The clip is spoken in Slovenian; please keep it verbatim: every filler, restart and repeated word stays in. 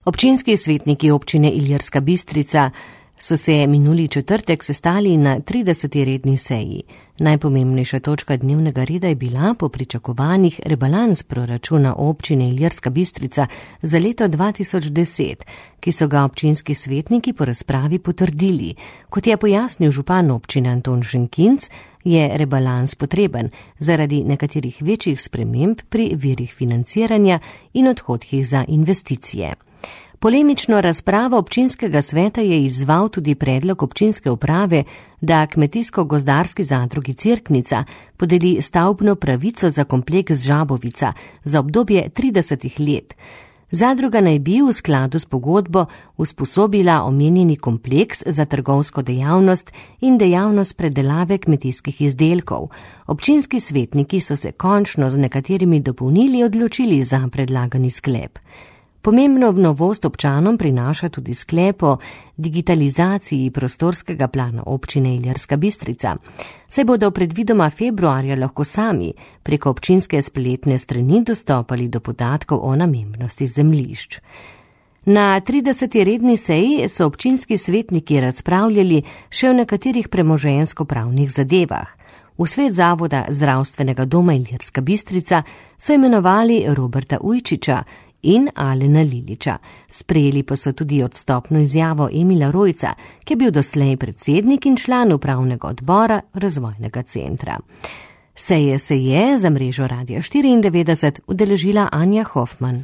Občinski svetniki občine Ilirska Bistrica so se minuli četrtek sestali na trideseti redni seji. Najpomembnejša točka dnevnega reda je bila po pričakovanjih rebalans proračuna občine Ilirska Bistrica za leto dva tisoč deset, ki so ga občinski svetniki po razpravi potrdili. Kot je pojasnil župan občine Anton Šenkinc, je rebalans potreben zaradi nekaterih večjih sprememb pri virih financiranja in odhodkih za investicije. Polemično razpravo občinskega sveta je izzval tudi predlog občinske uprave, da kmetijsko-gozdarski zadrugi Cerknica podeli stavbno pravico za kompleks Žabovica za obdobje tridesetih let. Zadruga naj bi v skladu s pogodbo usposobila omenjeni kompleks za trgovsko dejavnost in dejavnost predelave kmetijskih izdelkov. Občinski svetniki so se končno z nekaterimi dopolnili odločili za predlagani sklep. Pomembno novost občanom prinaša tudi sklep o digitalizaciji prostorskega plana občine Ilirska Bistrica. Saj bodo predvidoma februarja lahko sami preko občinske spletne strani dostopali do podatkov o namembnosti zemljišč. Na trideseti redni seji so občinski svetniki razpravljali še o nekaterih premoženjsko-pravnih zadevah. V svet zavoda zdravstvenega doma Ilirska Bistrica so imenovali Roberta Ujčiča in Alena Liliča. Sprejeli pa so tudi odstopno izjavo Emila Rojca, ki je bil doslej predsednik in član upravnega odbora razvojnega centra. Seje se je za mrežo Radia štiriindevetdeset udeležila Anja Hofman.